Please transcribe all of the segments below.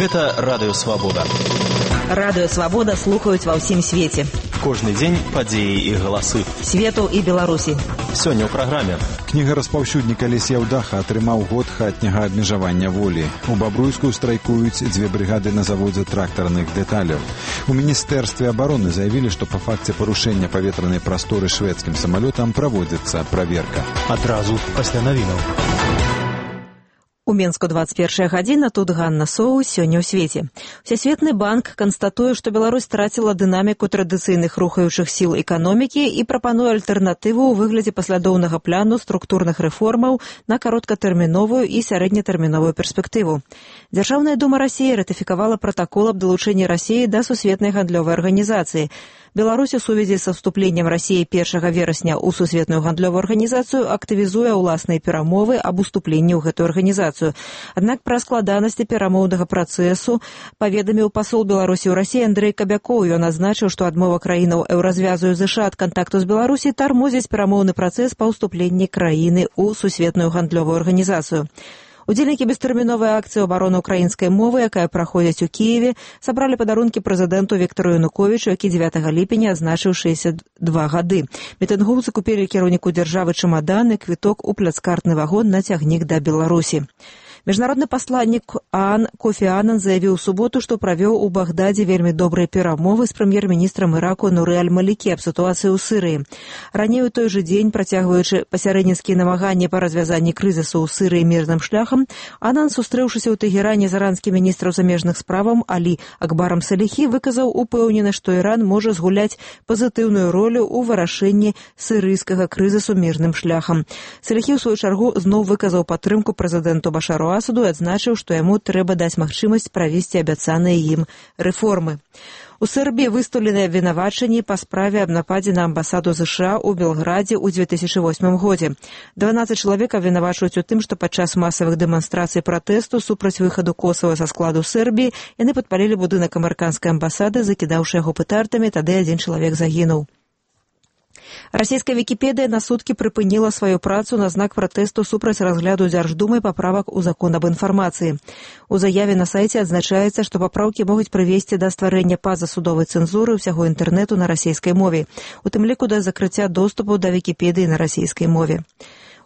Гэта Радыё Свабода. Радыё Свабода слухаюць ва ўсім свеце. Кожны дзень падзеі і галасы Свету і Беларусі. Сёння ў праграме. Кніга-распаўсюднік Алесь Яўдаха атрымаў год хатняга абмежавання волі. У Бабруйску страйкуюць 2 брыгады на заводзе трактарных дэталяў. У Міністэрстве абароны заявілі, што па факце парушэння паветранай прасторы шведскім самалётам праводзіцца праверка. Адразу пасля навінаў. У Менску 21 гадзіна, тут Ганна Соус, сёння ў свеце. Всесветны банк канстатуе, што Беларусь страціла дынаміку традыцыйных рухаючых сіл эканомікі і прапануе альтэрнатыву ў выглядзе паслядоўнага плану структурных рэформаў на кароткатэрміновую і сярэднетэрміновую перспектыву. Дзяржаўная дума Расіі ратыфікавала пратакол аб далучэнні Расіі да сусветнай гандлёвай арганізацыі. Беларусь у сувязі са вступленнем Расіі 1 верасня ў сусветную гандлёвую арганізацыю актывізуе ўласныя перамовы аб уступленні ў гэтую арганізацыю. Аднак пра складанасці перамоўнага працэсу паведаміў пасол Беларусі ў Расіі Андрэй Кабякоў. Ён адзначыў, што адмова краінаў еўразвязу і ЗША ад кантакту з Беларусі тармозіць перамоўны працэс па ўступленні краіны ў сусветную гандлёвую арганізацыю. Удзельнікі бестэрміновай акцыі абароны ўкраінскай мовы, якая праходзіць у Кіеве, сабралі падарункі прэзідэнту Віктору Януковічу, які 9 ліпеня адзначыў 62 гады. Мітынгоўцы купілі кіраўніку дзяржавы чамадан і квіток у пляцкартны вагон на цягнік да Беларусі. Міжнародны пасланнік ААН Кофі Аннан заявіў у суботу, што правёў у Багдадзе вельмі добрыя перамовы з прэм'ер-міністрам Іраку Нуры аль-Малікі аб сітуацыі ў Сірыі. Раней у той жа дзень, працягваючы пасярэдніцкія намаганні па развязанні крызісу ў Сірыі мірным шляхам, Аннан, сустрэўшыся ў Тэгеране з іранскім міністрам замежных справаў Алі Акбарам Саліхі, выказаў упэўненасць, што Іран можа згуляць пазітыўную ролю ў вырашэнні сірыйскага крызісу мірным шляхам. Саліхі, у сваю чаргу, зноў выказаў падтрымку прэзідэнту Башару Асаду і адзначыў, што яму трэба даць магчымасць правесці абяцаныя ім рэформы. У Сербіі выстаўленыя абвінавачанні па справе аб нападзе на амбасаду ЗША ў Белградзе ў 2008 годзе. 12 чалавек абвінавачваюць у тым, што падчас масавых дэманстрацый пратэсту супраць выхаду Косава са складу Сербіі яны падпалілі будынак амерыканскай амбасады, закідаўшы яго петардамі, тады адзін чалавек загінуў. Расійская Вікіпедыя на суткі прыпыніла сваю працу на знак пратэсту супраць разгляду Дзярждумай паправак у закон аб інфармацыі. У заяве на сайце адзначаецца, што папраўкі могуць прывесці да стварэння пазасудовай цэнзуры ўсяго інтэрнэту на расійскай мове, у тым ліку да закрыцця доступу да Вікіпедыі на расійскай мове.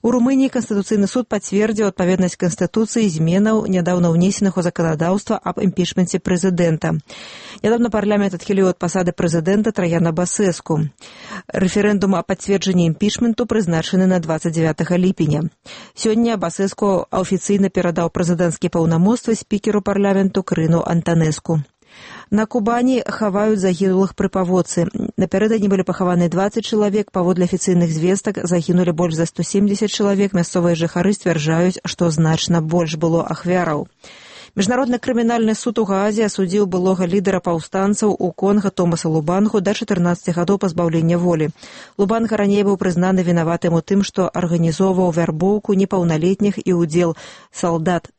У Румыніі Канстытуцыйны суд пацвердзіў адпаведнасць Канстытуцыі зменаў, нядаўна ўнесеных у заканадаўства аб імпічменце прэзідэнта. Нядаўна парламент адхіліў ад пасады прэзідэнта Траяна Басэску. Рэферэндум аб пацверджанні імпічменту прызначаны на 29 ліпеня. Сёння Басэску афіцыйна перадаў прэзідэнцкія паўнамоцтвы спікеру парламенту Крыну Антанеску. На Кубані хаваюць загінулых пры паводцы. Напярэдадні былі пахаваны 20 чалавек, паводле афіцыйных звестак загінулі больш за 170 чалавек, мясцовыя жыхары сцвярджаюць, што значна больш было ахвяраў. Міжнародны крымінальны суд у Гаазе асудзіў былога лідара паўстанцаў у Конга Томаса Лубангу да 14 гадоў пазбаўлення волі. Лубанга раней быў прызнаны вінаватым у тым, што арганізоўваў вярбоўку непаўналетніх і ўдзел салдат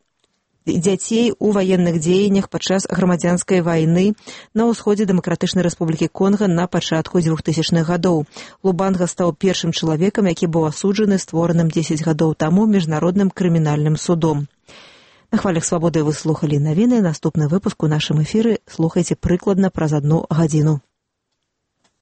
дзяцей у ваенных дзеяннях падчас грамадзянскай вайны на ўсходзе Дэмакратычнай Рэспублікі Конга на пачатку 2000-х гадоў. Лубанга стаў першым чалавекам, які быў асуджаны створаным 10 гадоў таму міжнародным крымінальным судом. На хвалях свабоды вы слухалі навіны. Наступны выпуск у нашым эфіры слухайце прыкладна праз 1 гадзіну.